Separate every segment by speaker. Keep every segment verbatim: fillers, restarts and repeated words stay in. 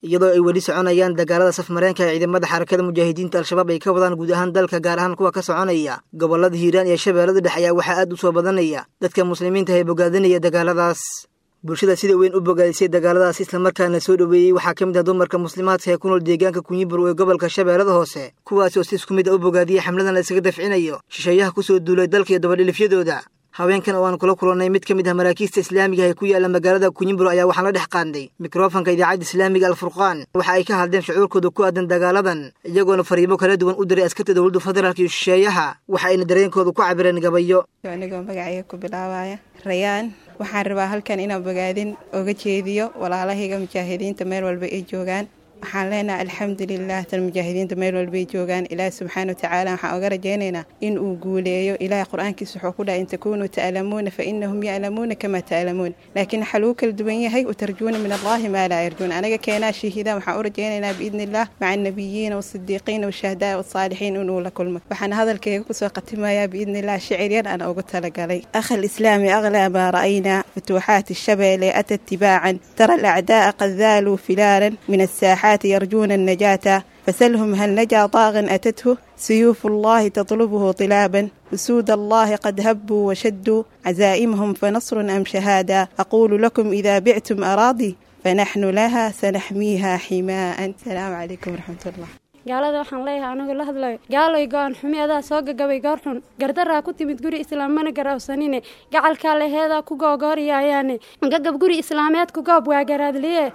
Speaker 1: Iyadoo ay weli soconayaan dagaalada safmareenka ee ciidamada Xarakada Mujaahidiinta Al-Shabaab ay ka wadaan guud ahaan dalka, gaar ahaan kuwa ka soconaya gobolada Hiiraan iyo Shabeellada Dhexe, ayaa waxaa aad u soo badanaya dadka muslimiinta ee bogaadinaya dagaaladaas. Bulshada sida weyn u bogaadisay dagaaladaas islamarkaana soo dhoweeyey waxaa ka mid ah dumarka muslimaadka ee ku nool deegaanka Kunyibur ee gobolka Shabeellada Hoose, kuwaasi oo si isku mid a u bogaadiyey xamladan la isaga dafcinayo shisheeyaha kusoo duulay dalka iyo dabadhilifyadooda. Haweenkan oo aan kula kulannay mid ka mid ah maraakiista islaamiga ee ku yaala magaalada Kunyimbur ayaa waxaan la dhex qaadnay mikrofanka Idaacadda Islaamiga Alfurqaan. Waxa ay ka hadleen shucuurkooda ku aadan dagaaladan, iyagoona fariimo kala duwan u diray askarta dowladda federaalka iyo shisheeyaha. Waxa ayna dareenkooda ku cabireen gabayo.
Speaker 2: Anigoo magacayga ku bilaabaya Rayaan, waxaan rabaa halkan inaan bogaadin oga jeediyo walaalahayga mujaahidiinta meel walba ay joogaan. Waxaan leenahay alxamdulilah tan mujaahidiinta meel walbay joogaan. Ilaahi subxaana watacaala waxaan oga rajaynaynaa in uu guuleeyo. Ilaahay qur-aankiisa wuxuu ku dhahay: "In takuunuu ta'lamuuna fa inahum ya'lamuuna kamaa ta'lamuun", laakiin waxaa lagu kala duwan yahay "watarjuuna min Allahi maa laa yarjuun". Anaga keenaa shahiida waxaan u rajaynaynaa biidni Illah maca annabiyiina waasidiiqiina washuhadaai wasaalixiin inuu la kulmo. Waxaan hadalkayga kusoo khatimayaa biidni Illah shicir yar aan ugu talagalay. أخا الإسلام، أغلى ما رأينا فتوحات الشبل أتت تباعا، ترى الأعداء قد ذالوا فلالا من الساحات يرجون النجاة، فسلهم هل نجا طاغ أتته سيوف الله تطلبه طلابا؟ أسود الله قد هبوا وشدوا عزائمهم، فنصر أم شهادة؟ أقول لكم إذا بعتم أراضي فنحن لها سنحميها حماء. السلام عليكم ورحمة الله.
Speaker 3: Gaalada waxaan leeyahay, anigoo la hadlayo: gaaloy, go-an xumi adaa soo gagabay goor xun, gardaraa ku timid guri islaam mana garawsanine, gacalkaa laheedaa ku googooriyaayaane, gagab guri islaameedku goob waa garaadliye,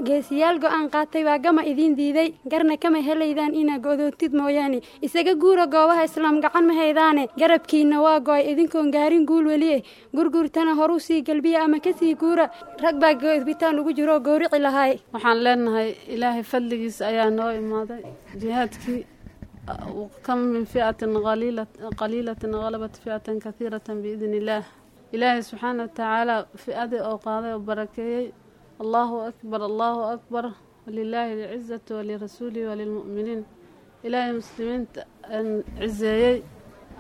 Speaker 3: geesiyaal go-aan qaatay waa gama idiin diiday, garna kama helaydaan inaa go'doontid mooyaane. Isaga guura goobaha islaam, gacan ma haydaane, garabkiina waa go-ay idinkoon gaarin guul weliye. Gurguurtana horuu sii galbiya ama kasii guura, rag baa gobitaan ugu jiroo goorici lahaay.
Speaker 4: Waxaan leenahay Ilaahay fadligiisa ayaa noo imaaday jihaadkii. كم من فئة قليلة غلبت فئة كثيرة بإذن الله. Ilaahay subxaana watacaala fi'adii oo qaaday oo barakeeyey. Allahu akbar, Allahu akbar, walilaahi alcizatu walirasuulihi walilmu'miniin. Ilaahay muslimiinta cizeeyey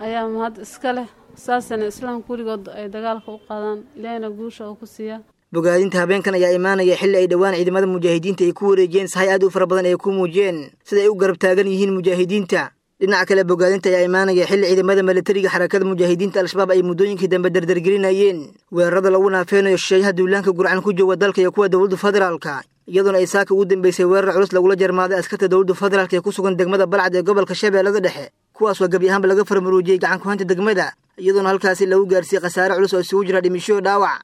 Speaker 4: ayaa mahad iska leh. Saasana islaamka weligood ay dagaalka u qaadaan, Ilaahayna guusha oo ku siiya.
Speaker 1: Bogaadinta habeenkan ayaa imaanaya xilli ay dhowaan ciidamada mujaahidiinta ay ku wareejiyeen sahay aad u fara badan ay ku muujiyeen sida ay u garab taagan yihiin mujaahidiinta. Dhinaca kale, bogaadinta ayaa imaanaya xilli ciidamada milatariga Xarakada Mujaahidiinta Al-Shabaab ay muddooyinkii dambe dardargelinayeen weerarada lagu naafeynayo shisheeyaha duulaanka gurcan ku jooga dalka iyo kuwa dowladda federaalka, iyadoona ay saaka ugu dambeysay weerar culus lagula jarmaaday askarta dowladda federaalka ee ku sugan degmada Balcad ee gobolka Shabeellada Dhexe, kuwaas oo gebi ahaanba laga farmaruujiyey gacan kuhanta degmada, iyadoona halkaasi lagu gaarsiiyey khasaare culus oo isugu jira dhimisho dhaawac.